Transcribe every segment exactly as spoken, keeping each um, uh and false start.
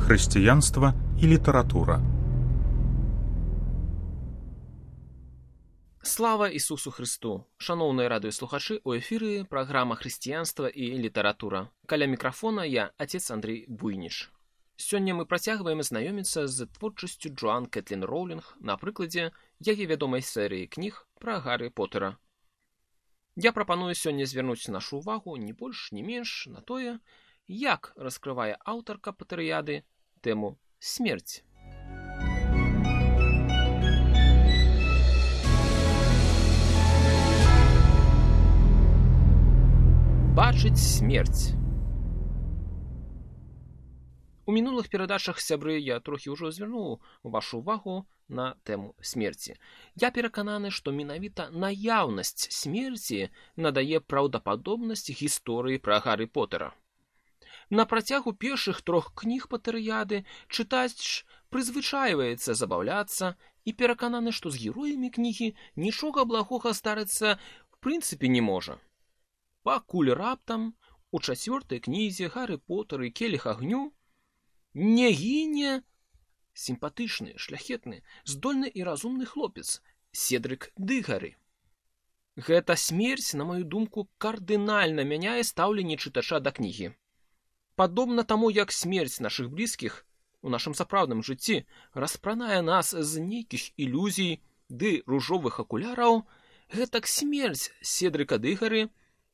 Хрысціянства і літаратура. Слава Ісусу Христу! Шаноўныя радыёслухачы, у эфіры праграма «Хрысціянства і літаратура». Каля мікрафона я, отец Андрей Буйніч. Сёння мы працягваем знаёміцца з творчасцю Джоан Кэтлін Роўлінг на прыкладзе яе вядомай серыі кніг пра Гаррі Поттера. Я прапаную сёння звярнуць нашу увагу не больш, не менш на тое, як раскрывае аўтарка Потэрыяды тэму смерці. Бачыць смерць. У мінулых перадачах, сябры, я трохі ўжо звярнуў вашу увагу на тэму смерці. Я перакананы, што менавіта наяўнасць смерці надае праўдападобнасць гісторыі пра Гаррі Поттера. На працягу першых трох кніг Потэрыяды чытач прызвычайваецца забаўляцца і перакананы, што з героямі кнігі нічога благога здарыцца в прынцыпе не можа. Пакуль раптам у чацвёртай кнізе Гаррі Поттер і келіх агню не гіне сімпатычны, шляхетны, здольны і разумны хлопец Седрык Дыгары. Гэта смерць, на маю думку, кардынальна мяняе стаўленне чытача да кнігі. Падобна таму, як смерць нашых блізкіх у нашым сапраўдным жыцці распранае нас з нейкіх ілюзій ды ружовых акуляраў, гэтак смерць Седрыка Дыгары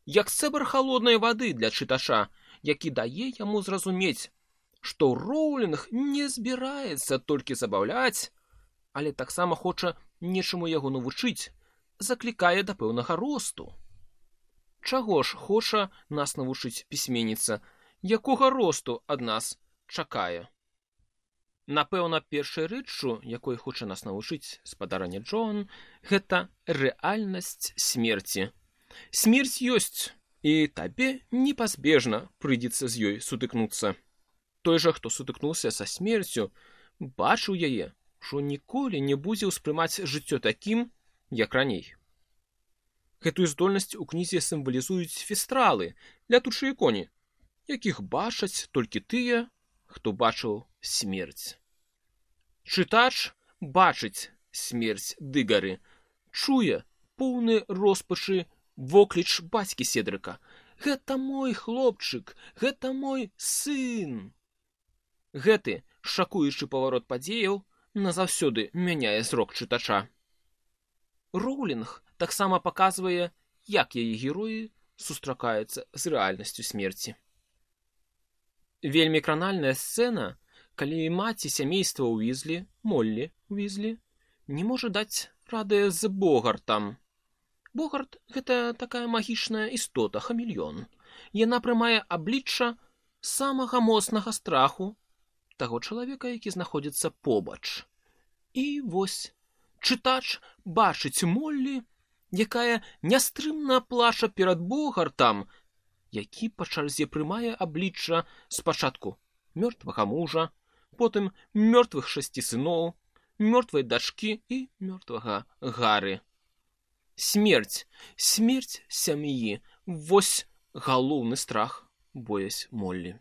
як цэбар халоднай вады для чытача, які дае яму зразумець, што Роўлінг не збіраецца толькі забаўляць, але таксама хоча нечаму яго навучыць, заклікае да пэўнага росту. Чаго ж хоча нас навучыць пісьменніца, якога росту ад нас чакае? Напэўна, першай рэччу, якой хоча нас навучыць спадарыня Джоан, гэта рэальнасць смерці. Смерць ёсць, і табе непазбежна прыйдзецца з ёй сутыкнуцца. Той жа, хто сутыкнуўся са смерцю, бачыў яе, што ніколі не будзе ўспрымаць жыццё такім, як раней. Гэтую здольнасць у кнізе сімвалізуюць фестралы, лятучыя коні, якіх бачаць толькі тыя, хто бачыў смерць. Чытач бачыць смерць Дыгары, чуе поўны роспачы вокліч бацькі Седрыка. Гэта мой хлопчык, гэта мой сын. Гэты шакуючы паварот падзеяў назаўсёды мяняе зрок чытача. Роўлінг таксама паказвае, як яе героі сустракаюцца з рэальнасцю смерці. Вельмі кранальная сцэна, калі маці сямейства Уізлі, Моллі Уізлі, не можа даць рады з Богартам. Богарт – гэта такая магічная істота, хамелеон. Яна прымае аблічча самага моцнага страху таго чалавека, які знаходзіцца побач. І вось, чытач бачыць Моллі, якая нястрымна плача перад Богартам, які па чарзе прымае аблічча спачатку мёртвага мужа, потым мёртвых шасці сыноў, мёртвай дачкі і мёртвага Гарры. Смерць, смерць сям'і, вось галоўны страх боязь Моллі.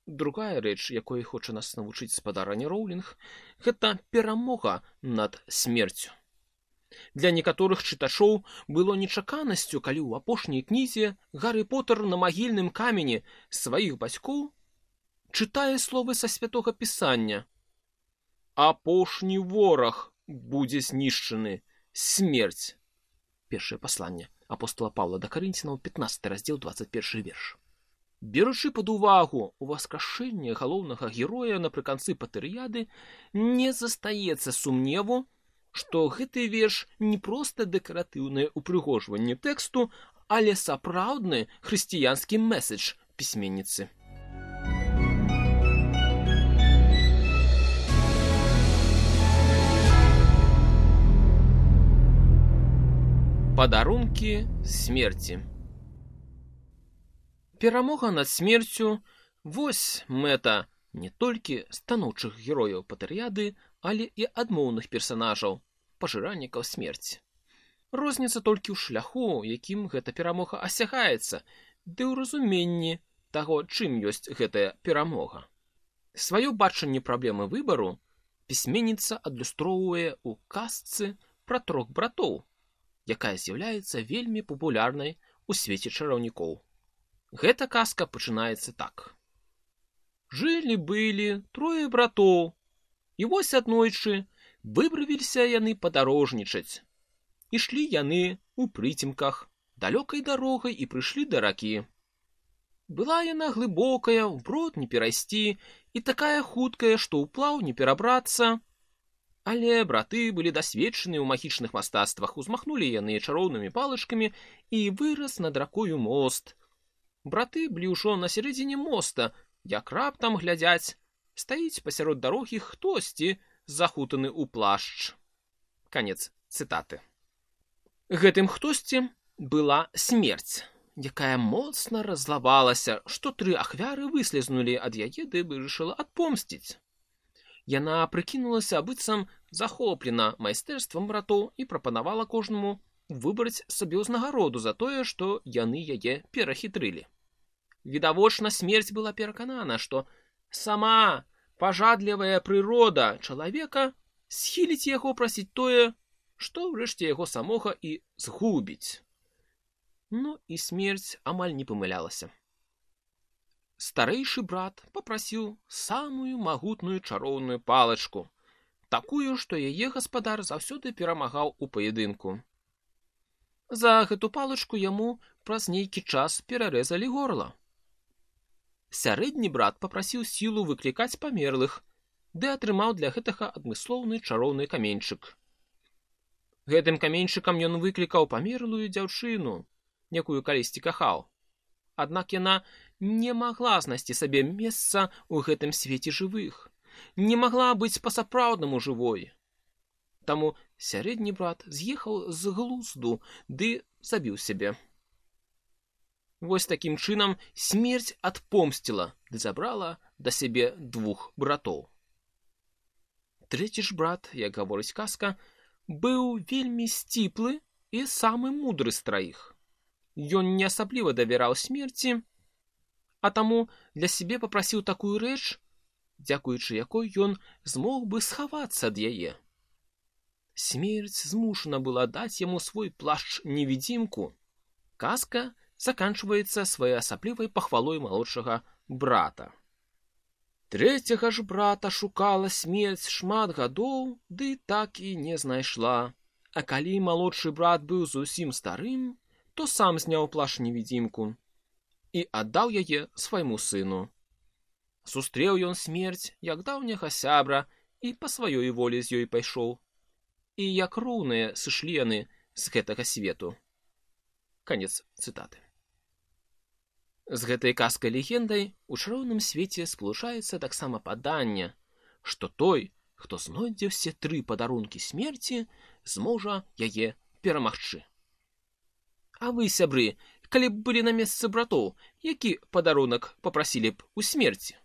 Другая рэч, якой хоча нас навучыць спадарыня Роўлінг, гэта перамога над смерцю. Для некаторых чытачоў было нечаканасцю, калі ў апошняй кнізе Гаррі Поттер на магільным камені сваіх бацькоў чытае словы са святога пісання. Апошні вораг будзе знішчаны, смерць. Першае пасланне апостола Паўла да Карынцінаў, пятнадцаты раздзел, дваццаць першы верш. Беручы пад увагу ўваскрашэнне галоўнага героя напрыканцы Потэрыяды, не застаецца сумневу, што гэты верш не проста дэкаратыўнае ўпрыгожванне тэксту, але сапраўдны хрысціянскі мэсэдж пісьменніцы. Падарункі смерці. Перамога над смерцю – вось мэта не толькі станоўчых герояў Потэрыяды, але і адмоўных персанажаў, пажыраннікаў смерці. Розніца толькі ў шляху, якім гэта перамога асягаецца, ды ў разуменні таго, чым ёсць гэтая перамога. Сваё бачанне праблемы выбару пісьменніца адлюстроўвае ў казцы пра трох братоў, якая з'яўляецца вельмі папулярнай у свеце чараўнікоў. Гэта казка пачынаецца так. Жылі-былі трое братоў, і вось аднойчы выбравіліся яны падарожнічаць. Ішлі яны ў прыцемках, далёкай дарогай і прыйшлі да ракі. Была яна глыбокая, ўброд не перайсці, і такая хуткая, што ўплаў не перабрацца. Але браты былі дасведчаны ў магічных мастацтвах, узмахнулі яны чароўнымі палачкамі, і вырас над ракою мост. Браты былі ўжо на сярэдзіне моста, як раптам глядзяць, стаіць пасярод дарогі хтосьці, захутаны ў плашч. Канец цытаты. Гэтым хтосьці была смерць, якая моцна раззлавалася, што тры ахвяры выслізнулі ад яе, ды вырашыла адпомсціць. Яна прыкінулася быццам захоплена майстэрствам братоў і прапанавала кожнаму выбраць сабе ўзнагароду за тое, што яны яе перахітрылі. Відавочна, смерць была пераканана, што сама пажадлівая прырода чалавека схіліць яго прасіць тое, што ўрэшце яго самога і згубіць. Ну і смерць амаль не памылялася. Старэйшы брат папрасіў самую магутную чароўную палачку, такую, што яе гаспадар заўсёды перамагаў у паядынку. За гэту палачку яму праз нейкі час перарэзалі горла. Сярэдні брат папрасіў сілу выклікаць памерлых, ды атрымаў для гэтага адмыслоўны чароўны каменьчык. Гэтым каменьчыкам ён выклікаў памерлую дзяўчыну, якую калісьці кахаў. Аднак яна не магла знайсці сабе месца ў гэтым свеце жывых, не магла быць па-сапраўднаму жывой. Таму сярэдні брат з'ехаў з глузду ды забіў сябе. Вось такім чынам смерць адпомсціла ды забрала да сябе двух братоў. Трэці ж брат, як гаворыць казка, быў вельмі сціплы і самы мудры з траіх. Ён не асабліва давяраў смерці, а таму для сябе папрасіў такую рэч, дзякуючы якой ён змог бы схавацца ад яе. Смерць змушана была даць яму свой плашч-невідзімку. Казка заканчваецца своеасаблівай пахвалой малодшага брата. Трэцяга ж брата шукала смерць шмат гадоў, ды так і не знайшла. А калі малодшы брат быў зусім старым, то сам зняў плашч-невідзімку і аддаў яе свайму сыну. Сустрэў ён смерць, як даўняга сябра, і па сваёй волі з ёй пайшоў. І як роўныя сышлі яны з гэтага свету. Канец цытаты. З гэтай казкай-легендай у чароўным свеце спалучаецца таксама паданне, што той, хто знойдзе ўсе тры падарункі смерці, зможа яе перамагчы. А вы, сябры, калі б былі на месцы братоў, які падарунак папрасілі б у смерці?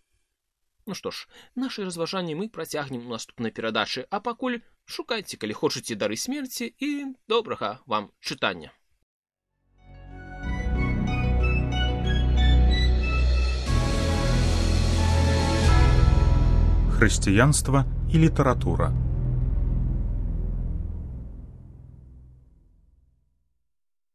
Ну што ж, нашы разважанні мы працягнем у наступнай перадачы, а пакуль шукайце, калі хочаце, дары смерці і добрага вам чытання. Хрысціянства і літаратура.